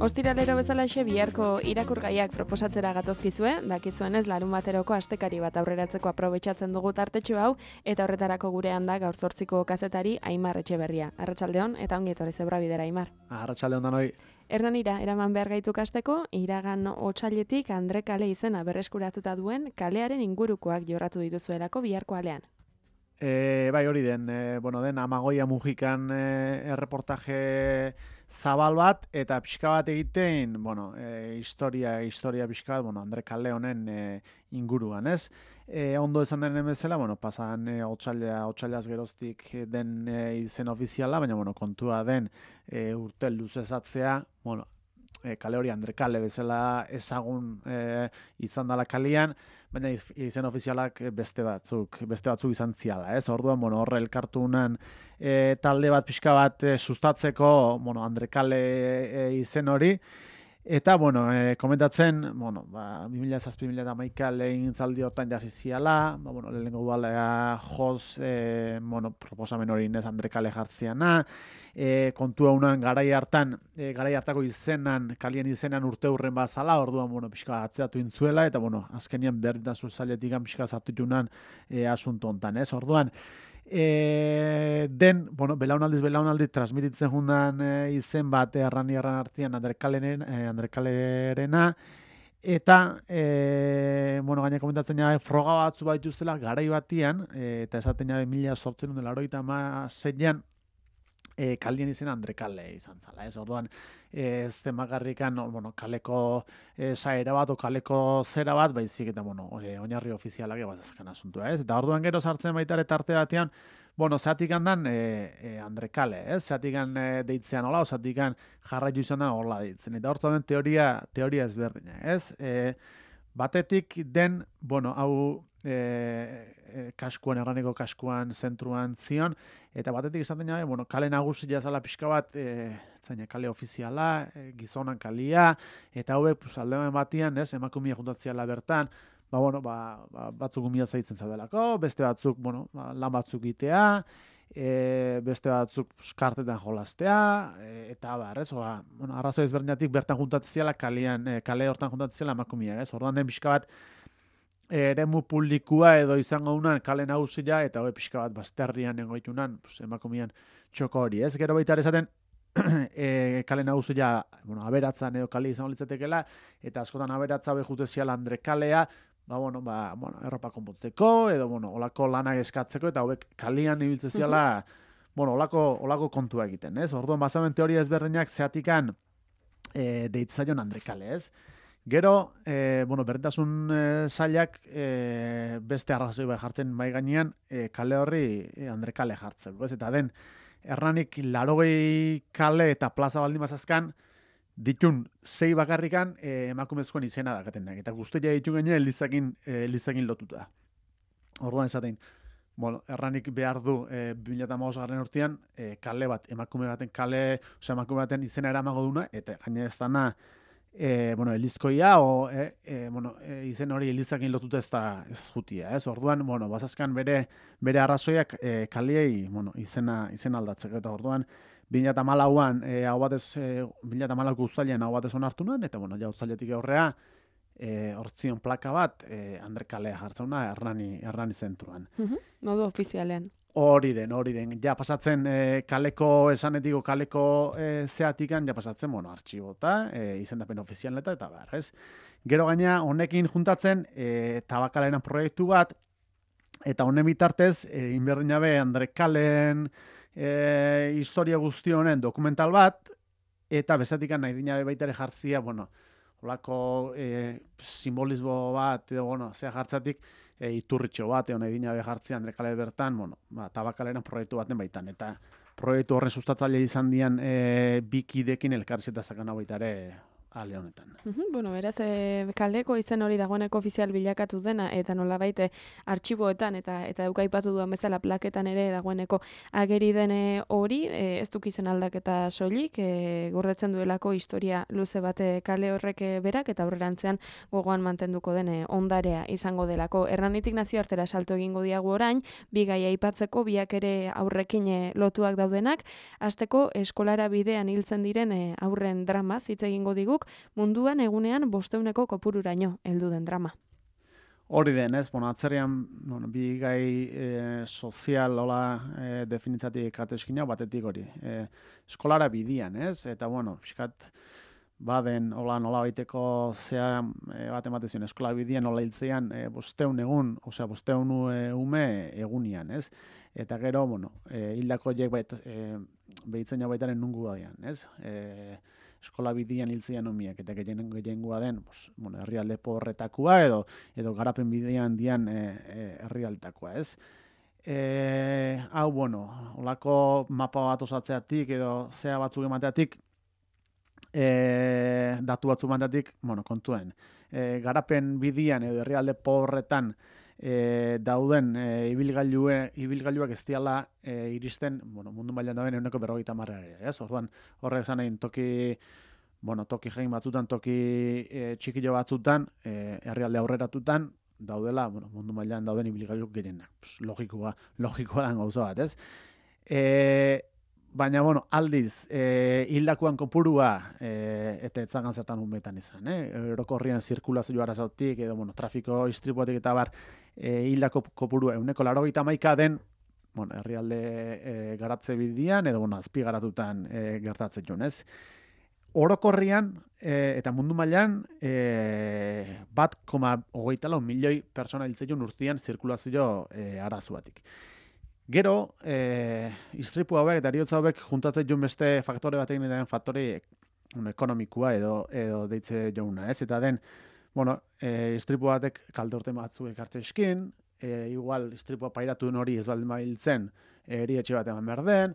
Ostiralero bezalaxe biharko irakurgaiak proposatzera gatozkizue, dakizuenez larunbateroko astekari bat aurreratzeko aprobetxatzen dugu tartetxo hau, eta horretarako gurean da gaur 8ko kazetari Aimar Etxeberria. Arratsaldeon eta ongi etorri Zebrabidera, Aimar. Arratsaldeon danoi. Hernanira, eraman behar gaitu kasteko, iragan otsailetik Andre Kale izena berreskuratuta duen kalearen ingurukoak jorratu dituzuelako biharko alean. Bai, hori den, den Amagoia Mujikan erreportaje zabal bat, eta pixka bat egiten, historia pixka bat, Andre Kale honen inguruan, ez? Ondo esan den bezala, pasan otsailaz geroztik den izen ofiziala, baina, kontua den urte luzezatzea, kale hori Andre Kale bezala ezagun izan dela kalean, baina izen ofizialak beste batzuk izan ziala, ez? Orduan, horre elkartunan talde bat pixka bat sustatzeko, Andre Kale izen hori, eta, komentatzen, 2007-2011 lehintzaldi hortan jaziziala, lehenengo udalea joz, proposamen hori inez Andre Kale jartziana, kontua unan garai hartako izenan, kalien izenan urte hurren bazala, orduan, pixka atzeatu intzuela, eta, azkenian berdintasun zailetik pixka zartu junan asunto hontan, ez? Orduan, belaunaldiz transmititzen jundan izen bat erran artean Andre Kalerena, eta gaina komentatzen jabe froga batzu baituztela garai batian, eta esaten jabe 1886an kalien izena Andre Kale izan zala, ez? Orduan, ez demagarrikan, kaleko saera bat o kaleko zera bat, baizik eta, oinarri ofizialak egazazkan asuntua, ez? Eta orduan gero sartzen baitare tarte batean, zeatik handan Andre Kale, ez? Zeatik deitzean hola, zeatik jarraitu izan da hola deitzen. Eta hortzen teoria ezberdina, ez? Batetik den, hau erraniko kaskuan zentruan zion, eta batetik esaten jabe, kale nagusia zala pixka bat, kale ofiziala, gizonan kalia, eta hauek aldean batian, ez, emakumia juntatziala bertan, batzuk umia zaitzen zaudelako, beste batzuk, lan batzuk itea, beste batzuk kartetan jolastea, eta ez, arrazoi ezberdinatik bertan juntatziala kale hortan juntatziala emakumia, ez, orduan den pixka bat, eremu publikua edo izango unan kale nagusia eta hori pixka bat bazterrian egoitunan emakumian txoko hori, ez? Gero baita esaten kale nagusia aberatzan edo kale izango litzatekela, eta askotan aberatza hori juteziala Andre Kalea, erropa konpontzeko edo olako lanak eskatzeko, eta hauek kalian ibiltzeziala olako kontua egiten, ez? Orduan bazamen teoria ezberdinak zeatikan deitzaion Andre Kale, ez? Gero, berdintasun zailak beste arrazoi bai jartzen bai gainean kale horri Andre Kale jartzeko, ez? Eta den, erranik 80 kale eta plaza baldin bazazkan, ditun 6 bakarrikan emakumezkoen izena dakatenak. Eta guztia ditu gaine elizakin lotuta. Orduan esaten, erranik behar du 2015 urtean kale bat, emakume baten izena eramango duna, eta gaine ez dana, elizkoia, izen hori elizakin lotuta ez da ez jutia, ez? Orduan, bazazkan bere arrazoiak kaliei, izena aldatzeko, eta orduan, 2014an, 2014ko uztailean hau batez onartu nuen, eta, utzailetik aurrea, hortzion plaka bat, Andre Kalea jartzauna, errani zentruan. Modu ofizialean. Hori den. Ja pasatzen kaleko esanetiko kaleko zeatikan, ja pasatzen, artxibota, izendapen ofizialeta, eta behar, ez? Gero gaina, honekin juntatzen, tabakalaren proiektu bat, eta honen bitartez, inberdinabe Andre Kaleen historia guzti honen dokumental bat, eta bezatikan nahi dinabe baitare jartzia, olako simbolismo bat, edo, zea jartzatik, iturritxo bat, nahi dinabe jartzia Andre Kale bertan, tabakalaren proiektu baten baitan, eta proiektu horren sustatzaile izan dian bikidekin elkarrizeta zakan hau baitare ale honetan. Bueno, beraz, kaleko izen hori dagoeneko ofizial bilakatu dena, eta nolabait artxiboetan eta eukaipatu duan bezala plaketan ere dagoeneko ageri dene hori, ez duk izen aldaketa soilik, gordetzen duelako historia luze bate kale horrek berak, eta aurrerantzean gogoan mantenduko den ondarea izango delako. Hernanitik nazioartera salto egingo diagu orain, bi gai aipatzeko, biak ere aurrekin lotuak daudenak, hasteko eskolara bidean hiltzen diren aurren dramaz hitz egingo diguk, munduan egunean 500 kopururaino heldu den drama. Hori den, ez? Atzerrian, bi gai sozial hola definitzatik ateskina, batetik hori. Eskolara bidian, ez? Eta, pixkat, baden, hola nola baiteko zea bat ematezion, eskola bidian hola hiltzean 500 egun, 500 ume egunian, ez? Eta gero, hildako horiek behitzen jau baitaren nungu badian, ez? Eskola bidian hiltzean umiak, eta gehiengoa den, herrialde pobretakoa edo garapen bidean dian herrialtakoa, ez? Hau, holako mapa bat osatzeatik edo zea batzuk emateatik, datu batzu mandatik, kontuen. Garapen bidian edo herrialde pobretan dauden ibilgailuak ez diala iristen, mundu mailan dauden 50%, ez? Orduan, horrek esan nahi, toki jain batzutan, toki txikilo batzutan, herrialde aurreratutan, daudela, mundu mailan dauden ibilgailuk gehienak. Logikoa dan gauza bat, ez? Baina, aldiz, hildakoan kopurua, eta etzagan zertan unbetan izan, Orokorrian zirkulazio arazotik, edo, trafiko istripuatik eta bar, hildako kopurua 181 den, herrialde garatze bidian, edo, azpi garatutan gertatzen joan, ez? Orokorrian, eta mundu mailan, 1,24 milioi pertsona hiltzen urtean zirkulazio arazoatik. Gero, istripu hauek eta heriotza hauek juntatzen joan beste faktore batekin eta den faktore ekonomikoa edo deitze jouna, ez? Eta den, istripu batek kalte urte batzuk ekartzen eskin, igual istripua pairatu den hori ez baldin bahiltzen, erietxe bat eman behar den,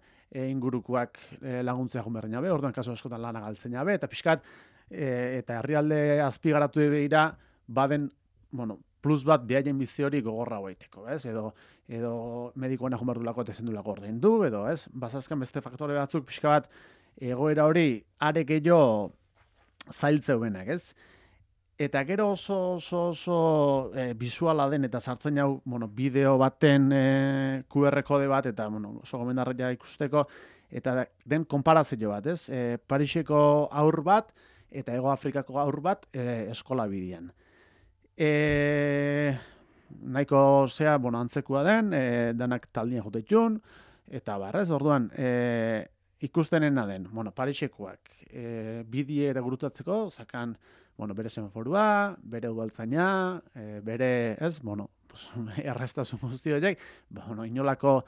ingurukoak laguntzea joan behar jabe, orduan kasu askotan lana galtzen jabe, eta pixkat, eta herrialde azpigaratu begira, baden, plus bat behaien bizi hori gogorra hoiteko, ez? Edo medikoena joan behar dulako eta ezin dulako ordaindu, edo, ez? Bazazkan beste faktore batzuk pixka bat egoera hori are gehiago zailtzeuenak, ez? Eta gero oso bisuala den eta sartzen jau, bideo baten QR kode bat, eta, oso gomendarria ikusteko, eta den konparazio bat, ez? Pariseko haur bat eta Hego Afrikako haur bat eskola bidian. Nahiko zea, antzekua den, danak taldien jotetxun, eta barrez, orduan, ikustenena den, Parisekoak, bidie eta gurutatzeko, zakan, bere semaforua, bere udaltzaina, bere, ez, errestasun guzti horiek, inolako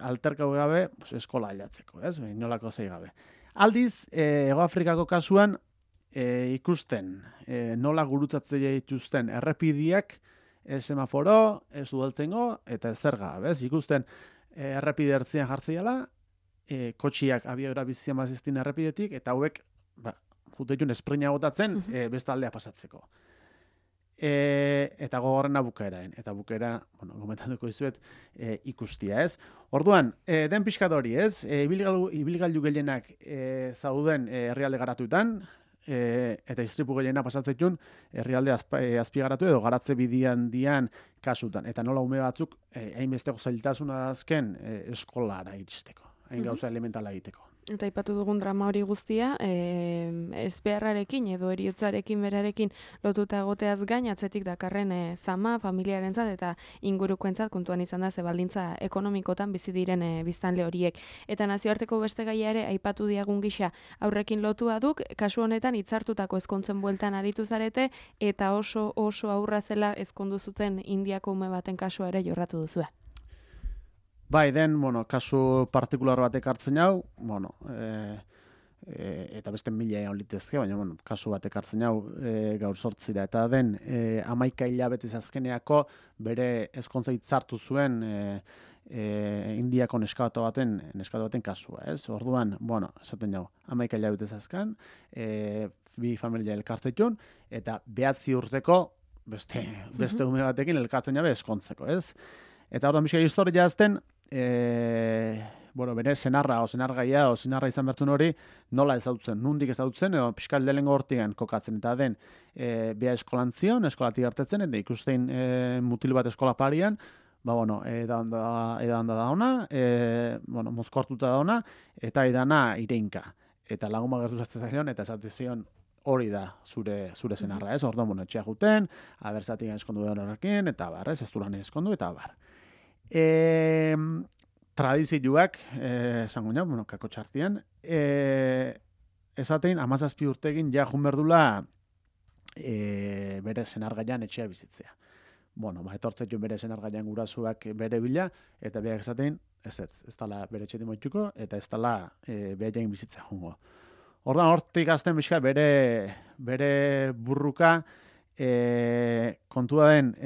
alterkau gabe, eskola aldatzeko, ez, inolako zei gabe. Aldiz, Hego Afrikako kasuan, ikusten nola gurutatzea dituzten errepidiak semaforo, ez udaltzengo, eta ezerga, bez? Ikusten errepide ertzean jartzeiala, kotxiak abiagora bizian baziztin errepidetik, eta hauek, jutetun esprina gotatzen, beste aldea pasatzeko. Eta gogorrena bukaeraen. Eta bukaera, gomentatuko izuet, ikustia, ez? Orduan, den pixkat hori, ez? Ibilgailu gehienak zauden herrialde garatuetan, eta istripu gehiena pasatzen herrialde azpigaratu edo garatze bidian dian kasutan. Eta nola ume batzuk, hainbesteko zailtasuna azken eskolara iristeko. Hain gauza elementala egiteko. Eta aipatu dugun drama hori guztia, ezbeharrarekin edo heriotzarekin berarekin lotuta egoteaz gain, atzetik dakarren zama, familiarentzat eta ingurukoentzat kontuan izan da ze baldintza ekonomikotan bizi diren biztanle horiek. Eta nazioarteko beste gaia ere aipatu diagun gisa aurrekin lotua duk, kasu honetan hitzartutako ezkontzen bueltan aritu zarete eta oso aurra zela ezkondu zuten Indiako ume baten kasua ere jorratu duzue. Bai, den, kasu partikular batek hartzen hau, eta beste 1000 egon litezke, baina, kasu batek hartzen hau gaur 8 eta den 11 hilabetez azkeneako bere ezkontza hitzartu zuen Indiako neskato baten kasua, ez? Orduan, bueno, esaten jau, 11 hilabete zazkan, bi familia elkartetun, eta 9 urteko beste ume batekin elkartzen jabe eskontzeko, ez? Eta orduan bizka historia azten, bere senarra izan bertun hori, nola ezautzen, nundik ezautzen, edo piskal delengo hortigan kokatzen, eta den, bea eskolantzion, eskolatik hartetzen, eta ikustein mutil bat eskola parian, edan da ona, mozkortuta da ona, eta edana ireinka. Eta lagun bat gertu zatzen zion, eta esatezion hori da zure senarra, ez? Orduan, etxea juten, abertzatik eskondu da horrekin, eta bar, ez duran eskondu, eta bar. Tradizioak, esango nio, kako txartian, esatein, 17 urtegin ja junberdula bere senargaian etxea bizitzea. Etortzen jo bere senargaian gurasoak bere bila, eta beak esatein, ez dala bere etxetik moituko, eta ez dala behaien bizitza jungo. Ordan hortik azten bizka bere burruka, kontua den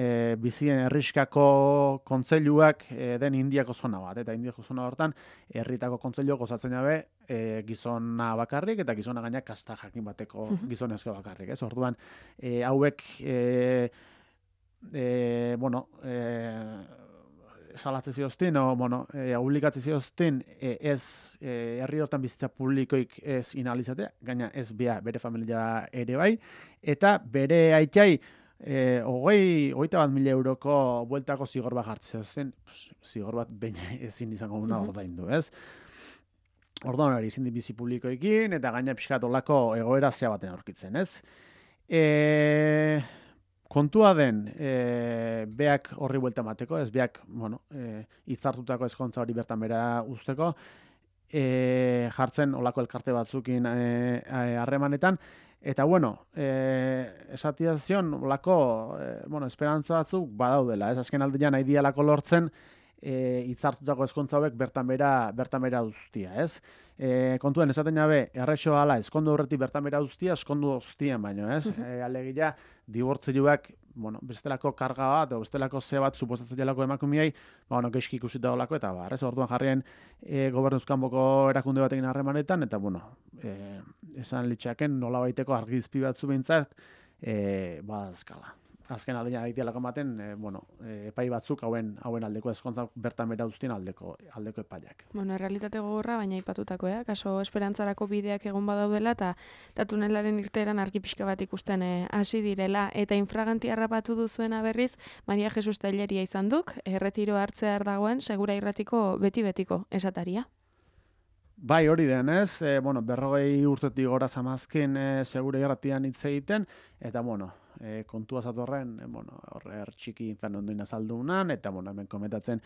bizien herriskako kontseiluak den Indiako zona bat, eta Indiako zona hortan herritako kontseiluak osatzen jabe gizona bakarrik eta gizona gainak kasta jakin bateko gizonezko bakarrik, ez? Orduan hauek salatzen zioztin, obligatzen zioztin ez herri hortan bizitza publikoik ez inalizatea, gaina ez bere familia ere bai, eta bere aitai 21.000 euroko bueltako zigor bat jartzen zioztin, zigor bat baina ezin izango una ordaindu, ez? Orduan hori izin bizi publikoekin, eta gaina pixkat olako egoera zea baten aurkitzen, ez? Kontua den, beak horri buelta mateko, ez beak, hitzartutako ezkontza hori bertan bera usteko, jartzen olako elkarte batzukin harremanetan, eta esatiazion olako, esperantza batzuk badaudela, ez azken aldean nahi dialako lortzen, hitzartutako ezkontza hauek bertan bera ustia, ez? Kontuen esaten jabe, errexo ala, eskondu horretik bertan bera ustia, eskondu ostien baino, ez? Alegia, dibortzioak, bestelako karga bat, o bestelako ze bat suposatzen jelako emakumiei, geizki ikusita olako, eta ez? Orduan jarrien gobernuzkanboko erakunde batekin harremanetan, eta esan litxaken nola baiteko argizpi batzu behintzat, badazkala. Azken aldean aitialako ematen, epai batzuk hauen aldeko ezkontzak bertan bera ustien aldeko epaiak. Errealitate gogorra, baina aipatutako, kaso esperantzarako bideak egon badaudela, eta tunelaren irteeran argi pixka bat ikusten hasi direla, eta infraganti harrapatu duzuena berriz, Maria Jesus Telleria izan duk, erretiro hartzear dagoen, segura irratiko beti-betiko esataria. Bai, hori den, ez? 40 urtetik gora zamazkin segura irratian hitz egiten, eta kontua zatorren, horre txiki infan ondoin azaldunan, eta hemen komentatzen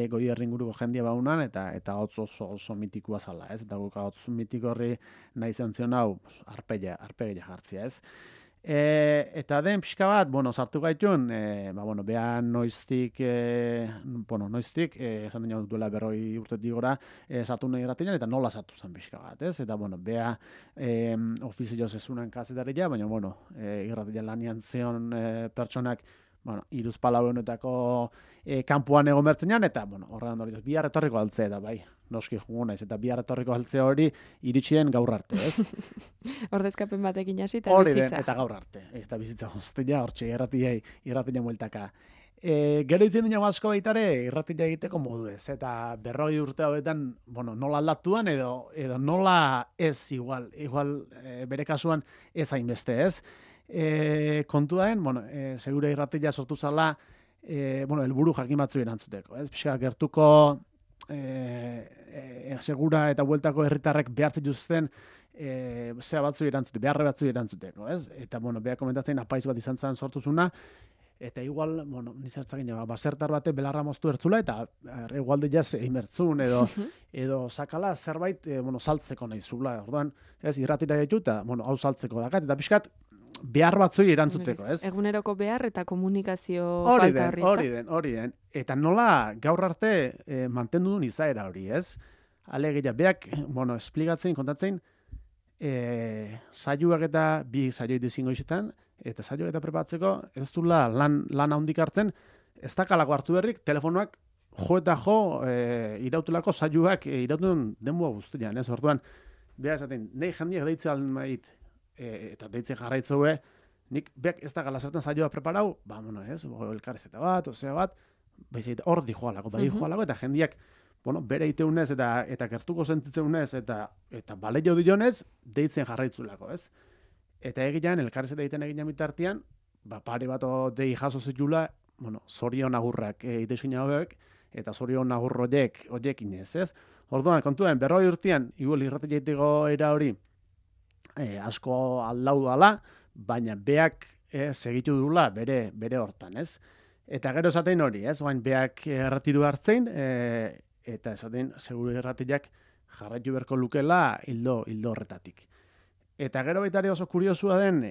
goi erringuruko jendia baunan, eta hotz oso mitikoa zala, ez? Eta guk hotz mitiko horri nahi zentzen hau, arpegia jartzia, ez? Eta den pixka bat, sartu gaitun, behan noiztik, esan dena duela 40 urtetik gora, sartu nahi irratian, eta nola sartu zen pixka bat, ez? Eta, beha ofizioz ezunan kazetaria, baina, irratian lanian zion pertsonak, 3-4 honetako kanpuan egon bertzenan, eta, horregan hori, bihar etorriko altzea, eta bai, noski jugu naiz, eta bihar etorriko altzea hori iritsi den gaur arte, ez? Ordezkapen batekin hasi, eta bizitza. Hori den, eta gaur arte, eta bizitza guztia, hortxe, irratia mueltaka. Gero itzen dina asko baitare, irratia egiteko modu ez, eta 40 urte hauetan, nola aldatuan, edo nola ez igual bere kasuan ez hainbeste, ez? Kontua den, segura irratia sortu zala, helburu jakin batzu erantzuteko, ez? Pixka gertuko segura eta bueltako herritarrek behartzen juzten zea batzu erantzuteko, beharre batzu erantzuteko, ez? Eta, beha komentatzen apaiz bat izan zen sortuzuna, eta igual, nizartzakin, basertar bate belarra moztu ertzula, eta igualde jaz eimertzun, edo sakala zerbait, saltzeko nahi zula, orduan, ez, irratira ditu, eta, hau saltzeko dakat, eta pixkat, behar batzui erantzuteko, ez? Eguneroko behar eta komunikazio falta horri. Hori den. Eta nola gaur arte mantendu duen izaera hori, ez? Alegia, beak, esplikatzen, kontatzen, saioak eta bi saioi dizingo izetan, eta saioak eta prepatzeko, ez duela lan handik hartzen, ez dakalako hartu berrik, telefonoak eta irautulako saioak irautun denboa guztian, ez? Orduan, beha esaten, nahi jendiak deitzea almait, eta deitzen jarraitzeue, nik beak ez da galazertan saioa preparau, ez? Elkarrezeta bat, osea bat, hor di joalako, eta jendiak, bere iteunez eta gertuko sentitzeunez eta baleio dionez, deitzen jarraitzulako, ez? Eta egilean, elkarrezeta egiten egilean bitartean, pare bat dei jaso zitula, zorion agurrak itezkin hauek, eta zorion agur horiek inez, ez? Orduan, kontuen, 40 urtean, igual irrati jaiteko era hori, asko aldau dala, baina beak segitu dula bere hortan, ez? Eta gero esatein hori, ez? Baina beak erratiru hartzein, eta esatein, seguru erratiak jarraitu berko lukela hildo horretatik. Eta gero baitari oso kuriosua den,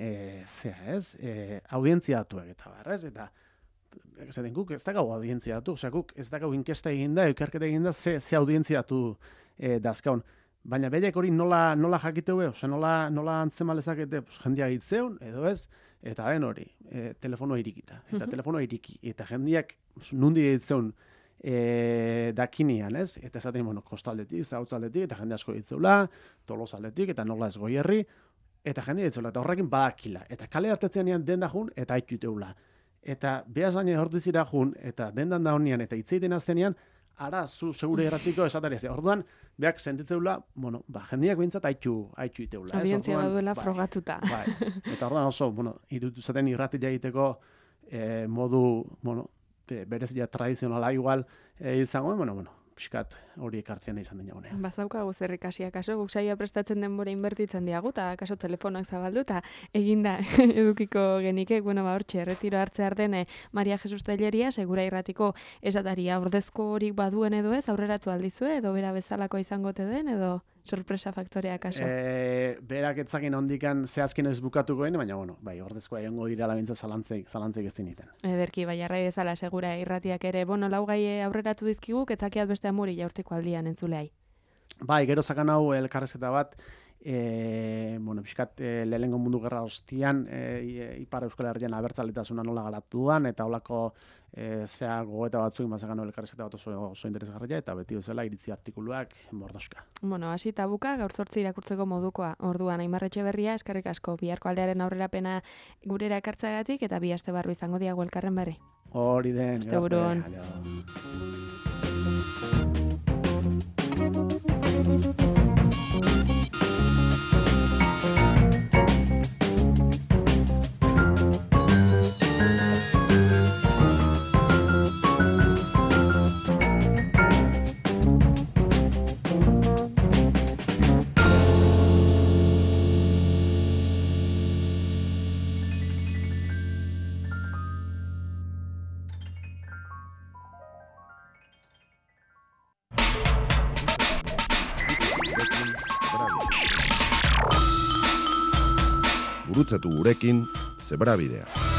audientzia datuak eta bar, ez? Eta esaten guk ez dakau audientzia datu, osea guk ez dakau inkesta eginda, ikerketa eginda, ze audientzia datu dazkaun. Baina behiek hori nola jakiteu, osea nola antzemalezakete jendia hitzeun, edo ez, eta den hori, telefonoa irikita. Eta telefonoa iriki, eta jendiak nundi hitzeun dakinian, ez? Eta esaten, kostaldetik, zautzaldetik, eta jende asko hitzeula, tolosaldetik, eta nola ez goierri, eta jendia hitzeula, eta horrekin badakila. Eta kale hartetzean den da jun, eta haituteula. Eta behaz baina hortizira jun, eta dendan da honian, eta hitzeiten aztenean, ara, zu segure erratiko esatari. Orduan, beak sentitzeula, jendiak bintzat haitu iteula. Audientzia baduela frogatuta. Eta orduan oso, irutu zaten irratia egiteko modu, berezia tradizionala igual izango, piskat hori ekartzen izan den jagunean. Bazaukagu zer ikasia, kaso guk saioa prestatzen denbora inbertitzen diagu, eta kaso telefonoak zabaldu, eta eginda edukiko genike, hortxe, erretiro hartze arden Maria Jesus Telleria, segura irratiko esataria ordezko horik baduen edo ez, aurreratu aldizue, edo bera bezalako izangote den, edo sorpresa faktorea kaso? Berak etzakin ondikan zehazkin ez bukatukoen, baina, bai, ordezkoa egongo dira labintza zalantzeik ez diniten. Ederki, bai, arrai bezala segura irratiak ere, laugai aurreratu dizkiguk, etzakiat beste amuri jaurtiko aldian entzuleai. Bai, gero zakan hau elkarrezketa bat, pixkat lehenengo mundu gerra ostian, Ipar Euskal Herrian abertzaletasuna nola garatu duan, eta holako gogoeta batzuk mazakan elkarrezketa bat oso interesgarria, eta beti bezala iritzi artikuluak mordoska. Hasi tabuka, gaur 8 irakurtzeko modukoa. Orduan, Aimar Etxeberria, eskerrik asko, biharko aldearen aurrerapena gurera ekartzagatik, eta bi aste barru izango diago elkarren berri. Hori den. Asteburuan. Gurutzatu gurekin Zebrabidea.